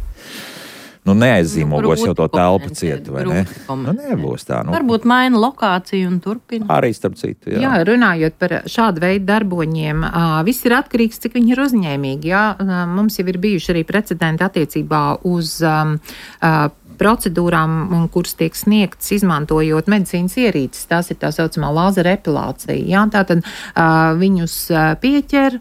Neaizzīmogos jau to telpu cietu, vai ne? Nebūs tā. Varbūt maina lokāciju un turpina. Arī starp citu, jā. Jā, runājot par šādu veidu darboņiem, viss ir atkarīgs, cik viņi ir uzņēmīgi. Jā, mums jau ir bijuši arī precedenti attiecībā uz procedūrām, kuras tiek sniegtas izmantojot medicīnas ierīces. Tās ir tā saucamā lāzera epilācija. Jā, tātad viņus pieķer,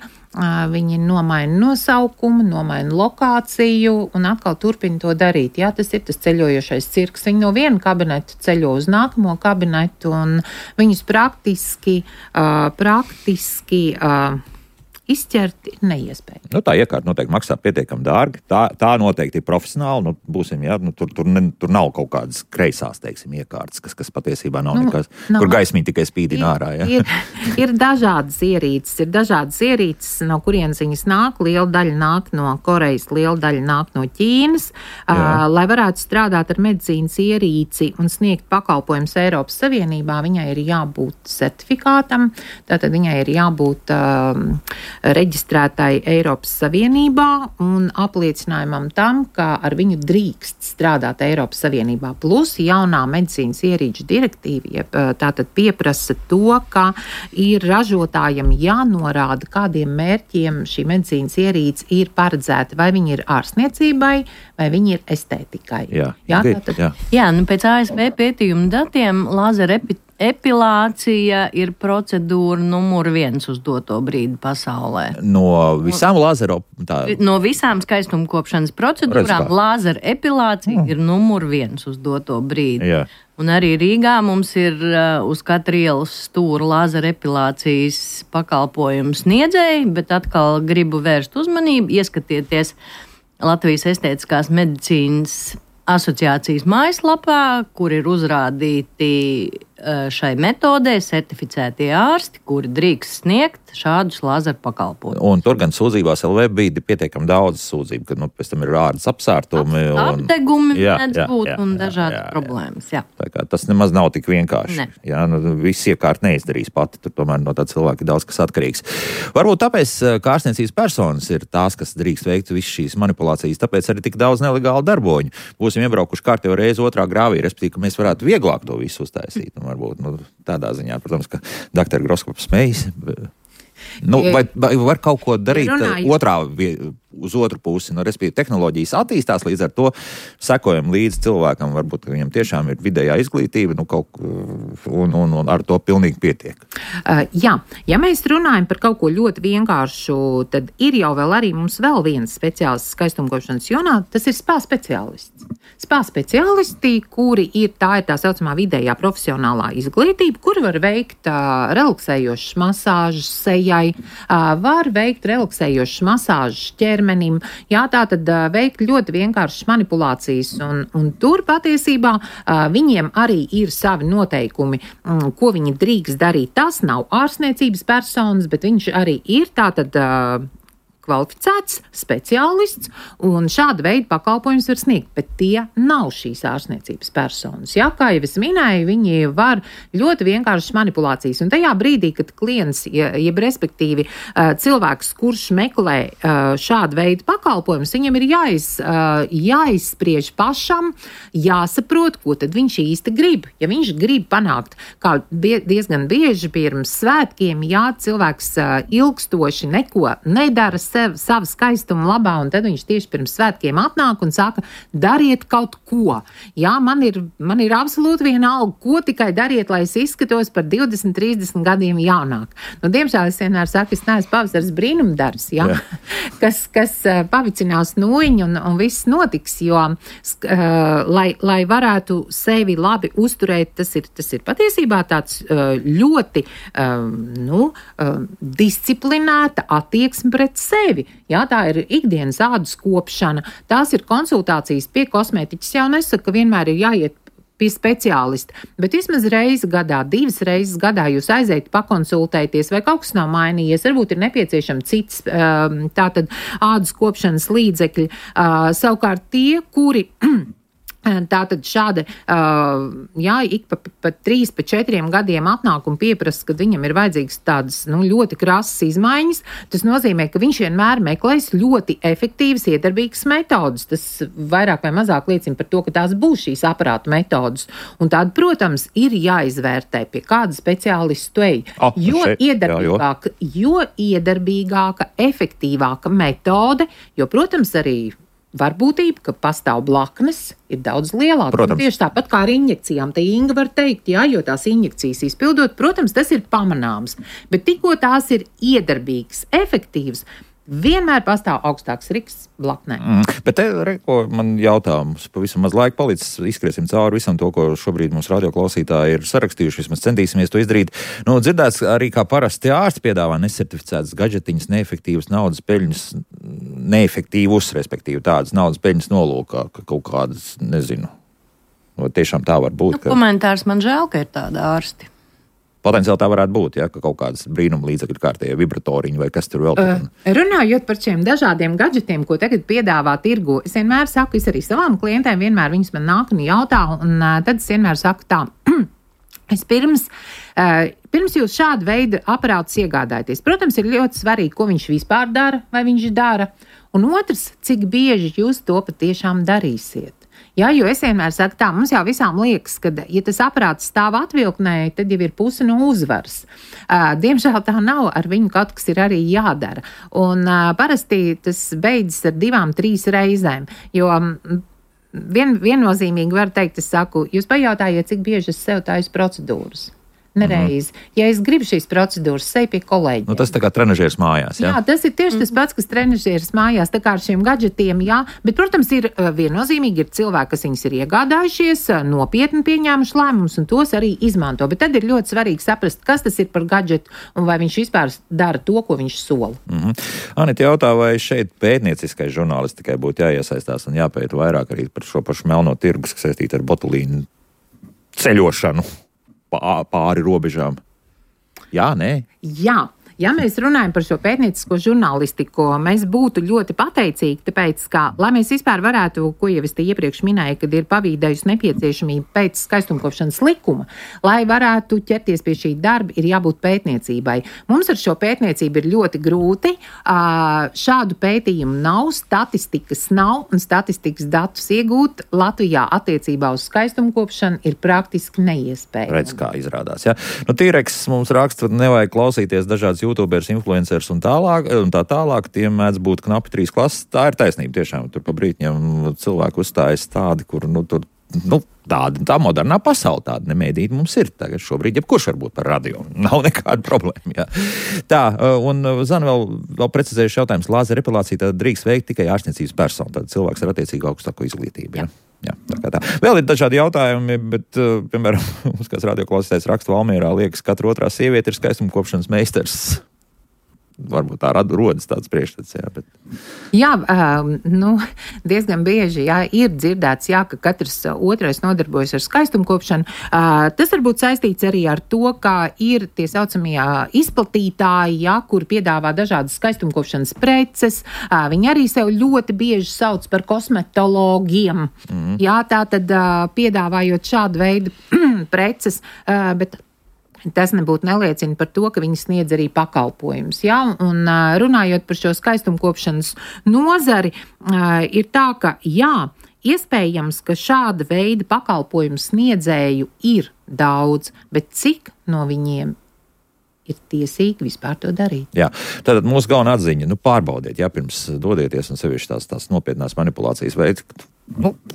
viņi nomaina nosaukumu, nomaina lokāciju un atkal turpina to darīt. Jā, tas ir tas ceļojošais cirks. Viņi no viena kabineta ceļo uz nākamo kabinetu un viņus praktiski izķert ir neiespējami. Tā iekārta noteikti maksā pietiekami dārgi. Tā noteikti ir profesionāli. Būsim, jā, tur nav kaut kādas kreisās, teiksim, iekārtas, kas patiesībā nav nekas, kur gaismiņa tikai spīdina ārā. Jā. Ir dažādas ierīces, no kurienes viņas nāk. Liela daļa nāk no Korejas, liela daļa nāk no Ķīnas. Lai varētu strādāt ar medicīnas ierīci un sniegt pakalpojumus Eiropas Savienībā, viņai ir jābūt certifikātam, tātad viņai ir jābūt reģistrētai Eiropas Savienībā un apliecinājumam tam, ka ar viņu drīkst strādāt Eiropas Savienībā. Plus jaunā medicīnas ierīču direktīva tātad pieprasa to, ka ir ražotājiem jānorāda, kādiem mērķiem šī medicīnas ierīce ir paredzēta, vai viņi ir ārstniecībai, vai viņi ir estētikai. Jā, pēc ASV pētījuma datiem lāzera epilācija ir procedūra numur 1 uz doto brīdi pasaulē. No visām No visām skaistumkopšanas procedūrām lāzera epilācija ir numur 1 uz doto brīdi. Jā. Un arī Rīgā mums ir uz katra ielas stūra lāzera epilācijas pakalpojumu sniedzēji, bet atkal gribu vērst uzmanību, ieskatieties Latvijas estētiskās medicīnas asociācijas mājaslapā, kur ir uzrādīti šai metodē certificētie ārsti, kuri drīkst sniegt šādus lāzeru pakalpojumus. Un tur gan sūdzībās LV bija pietiekami daudz sūdzību, ka pēc tam ir ādas apsārtumi. Apdegumi mēdz būt un dažādas problēmas. Jā. Tā kā tas nemaz nav tik vienkārši. Jā, viss iekārt neizdarīs pati, tur tomēr no tā cilvēka ir daudz kas atkarīgs. Varbūt tāpēc, ka ārstniecības personas ir tās, kas drīkst veikt visas šīs manipulācijas, tāpēc arī tik daudz nelegālu darboņu. Būsim iebraukuši kārtējo reizi otrā grāvī, respektīvi, ka mēs varētu vieglāk to visu uztaisīt. Varbūt tādā ziņā, protams, ka doktora Groskops smejas. Vai var kaut ko darīt uz otru pusi? Respektīvi, tehnoloģijas attīstās, līdz ar to sekojam līdz cilvēkam, varbūt viņam tiešām ir vidējā izglītība, un ar to pilnīgi pietiek. Jā, ja mēs runājam par kaut ko ļoti vienkāršu, tad ir jau vēl arī mums vēl viens speciālists skaistumkopšanas jomā, tas ir spā speciālists. Spā speciālisti, kuri ir tā saucamā vidējā profesionālā izglītība, kuri var veikt relaksējošas masāžas sejai, var veikt relaksējošas masāžas ķermenim, jā, tātad veikt ļoti vienkāršas manipulācijas, un tur patiesībā viņiem arī ir savi noteikumi, ko viņi drīkst darīt. Tas nav ārstniecības personas, bet viņš arī ir tātad kvalificēts speciālists, un šāda veida pakalpojumus var sniegt, bet tie nav šīs ārstniecības personas. Jā, kā jau es minēju, viņi var ļoti vienkāršas manipulācijas, un tajā brīdī, kad klients, jeb respektīvi cilvēks, kurš meklē šādu veidu pakalpojumus, viņam ir jāizspriež pašam, jāsaprot, ko tad viņš īsti grib. Ja viņš grib panākt, kā diezgan bieži pirms svētkiem, jā, cilvēks ilgstoši neko nedara sava skaistuma labā, un tad viņš tieši pirms svētkiem atnāk un saka, dariet kaut ko. Jā, man ir absolūti vienalga, ko tikai dariet, lai es izskatos par 20, 30 gadiem jaunāk. Diemžēl es vienmēr saku, es neesmu pavasaris brīnumdarbs, jā? kas pavicinās nūjiņu un viss notiks, jo lai varētu sevi labi uzturēt, tas ir patiesībā tāds ļoti disciplinēta attieksme pret sevi. Jā, tā ir ikdienas ādas kopšana, tās ir konsultācijas pie kosmētiķis. Jau nesaka, ka vienmēr ir jāiet pie speciālista, bet vismaz reizi gadā, 2 reizes gadā jūs aiziet pakonsultēties, vai kaut kas nav mainījies, varbūt ir nepieciešama cits tātad ādas kopšanas līdzekļi. Savukārt tie, kuri tātad šādi, ik pa 3, pa 4 gadiem atnāk un pieprasa, kad viņam ir vajadzīgas tādas, ļoti krasas izmaiņas, tas nozīmē, ka viņš vienmēr meklēs ļoti efektīvas, iedarbīgas metodas. Tas vairāk vai mazāk liecina par to, ka tās būs šīs aparātu metodas. Un tāda, protams, ir jāizvērtē, pie kāda speciālistu ej. Jo iedarbīgāka, efektīvāka metode, jo, protams, arī varbūtība, ka pastāv blaknes, ir daudz lielāka. Protams. Tieši tāpat kā ar injekcijām. Te Inga var teikt, jā, jo tās injekcijas izpildot, protams, tas ir pamanāms. Bet tikko tās ir iedarbīgas, efektīvas, vienmēr pastāv augstāks risks blaknē. Bet te, ko man jautājums, pavisam maz laika palicis, izskriesim cauri visam to, ko šobrīd mums radioklausītāji ir sarakstījuši, vismaz centīsimies to izdarīt. Dzirdēts arī, kā parasti ārsti piedāvā nesertificētas gadžetiņas, neefektīvas naudas peļņas, neefektīvus, respektīvi tādas naudas peļņas nolūkā, ka kaut kādas, nezinu, tiešām tā var būt. Komentārs man žēl, ka ir tāda ārsti. Potenciāli tā varētu būt, ja, ka kaut kādas brīnuma līdzekļu kārtējie vibratoriņi vai kas tur vēl. Runājot par šiem dažādiem gadžetiem, ko tagad piedāvā tirgu, es vienmēr saku, es arī savām klientēm vienmēr viņas man nāk un jautā, un tad es vienmēr saku tā. Es pirms jūs šādu veidu aparātus iegādājaties, protams, ir ļoti svarīgi, ko viņš vispār dara, vai viņš dara, un otrs, cik bieži jūs to patiešām darīsiet. Jā, jo es vienmēr saku tā, mums jau visām liekas, ka, ja tas aparāts stāv atvilknē, tad jau ir puse no uzvaras. Diemžēl tā nav, ar viņu kaut kas ir arī jādara. Un parasti tas beidzas ar 2-3 reizēm, jo viennozīmīgi var teikt, es saku, jūs pajautājiet, cik bieži es sev taisu procedūras. Nereizi. Ja es gribu šīs procedūras, seju pie kolēģiem. Tas tā kā trenažieris mājās, jā? Jā, tas ir tieši tas pats, kas trenažieris mājās, tā kā ar šiem gadžetiem, jā. Bet, protams, ir viennozīmīgi ir cilvēki, kas viņus ir iegādājušies, nopietni pieņēmuši lēmumus un tos arī izmanto. Bet tad ir ļoti svarīgi saprast, kas tas ir par gadžetu un vai viņš vispār dara to, ko viņš sola. Anita jautā, vai šeit pētnieciskai žurnālistikai būtu jāiesaistās un jāpēta vairāk arī par šo pašu melno tirgus, kas saistīta ar botulīnu ceļošanu pāri robežām. Jā, nē? Jā. Ja mēs runājam par šo pētniecisko žurnālistiku, mēs būtu ļoti pateicīgi, tāpēc, ka, lai mēs vispār varētu, ko jau es te iepriekš minēju, kad ir pavīdējusi nepieciešamība pēc skaistumkopšanas likuma, lai varētu ķerties pie šī darba, ir jābūt pētniecībai. Mums ar šo pētniecību ir ļoti grūti. Šādu pētījumu nav, statistikas nav, un statistikas datus iegūt Latvijā attiecībā uz skaistumkopšanu ir praktiski neiespējami. Redz, kā izrādās, jā. Tīreks mums raksta, nevajag klausīties dažādas YouTubers, influencers un tā tālāk, tiem mēdz būt knapi 3 klases. Tā ir taisnība tiešām. Tur pa brītņiem cilvēku uzstājas tādi, kur, tā modernā pasaule tāda nemēdīta mums ir. Tagad šobrīd jebkurš var būt par radio. Nav nekāda problēma, jā. Tā, un Zana vēl precizējuši jautājums. Lāzera epilācija tad drīkst veikt tikai ārstniecības persona. Tad cilvēks ar attiecīgu augstāko izglītību, jā. Jā, tā. Vēl ir dažādi jautājumi, bet, piemēram, mums kāds radioklausītājs raksta Valmierā, liekas, katra otrā sieviete ir skaistumkopšanas meistars. Varbūt tā rodas tāds priekšstats, jā. Bet... Jā, diezgan bieži, jā, ir dzirdēts, jā, ka katrs otrais nodarbojas ar skaistumkopšanu. Tas varbūt saistīts arī ar to, ka ir tie saucamie izplatītāji, jā, kur piedāvā dažādas skaistumkopšanas preces. Viņi arī sev ļoti bieži sauc par kosmetologiem. Jā, tā tad piedāvājot šādu veidu preces, bet tas nebūtu neliecina par to, ka viņi sniedz arī pakalpojumus. Ja? Un runājot par šo skaistumkopšanas nozari, ir tā, ka jā, iespējams, ka šāda veida pakalpojumu sniedzēju ir daudz, bet cik no viņiem ir tiesīgi vispār to darīt? Jā, tātad mūsu galvenā atziņa, pārbaudiet, jā, pirms dodieties un sevišķi tās nopietnās manipulācijas veids.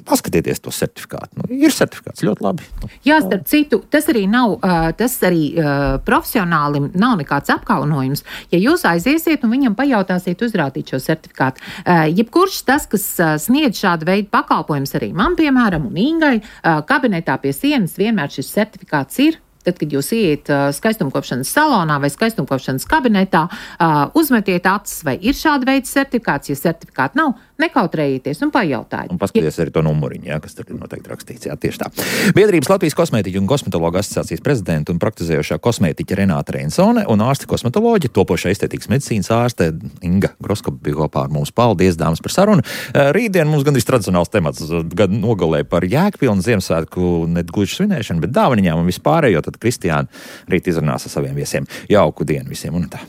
Paskatieties to certifikātu. Ir certifikāts, ļoti labi. Jā, starp citu, tas arī nav, profesionālim nav nekāds apkaunojums. Ja jūs aiziesiet un viņam pajautāsiet uzrādīt šo certifikātu, jebkurš tas, kas sniedz šādu veidu pakalpojumus arī man, piemēram, un Ingai, kabinetā pie sienas vienmēr šis certifikāts ir. Tad, kad jūs ieiet skaistumkopšanas salonā vai skaistumkopšanas kabinetā, uzmetiet acis, vai ir šāda veida certifikāts. Ja certifikāta nav, nekautrējieties un pajautājiet. Un paskatieties arī to numuriņu, jā, kas tur ir noteikti rakstīts. Jā, tieši tā. Biedrības Latvijas kosmētiķu un kosmetologu asociācijas prezidenta un praktizējošā kosmētiķa Renāta Reinsone un ārste kosmetoloģi, topošā estētikas medicīnas ārste Inga Groskop bija kopā ar mums. Paldies, dāmas, par sarunu. Rītdien mums gandrīz tradicionāls temats, gan nogalē par Jēkpilnu Ziemassvētku negluži svinēšanu, bet dāvaniņām un vispārējo. Kristiāna rīt izrunās ar saviem viesiem. Jauku dienu visiem un tā.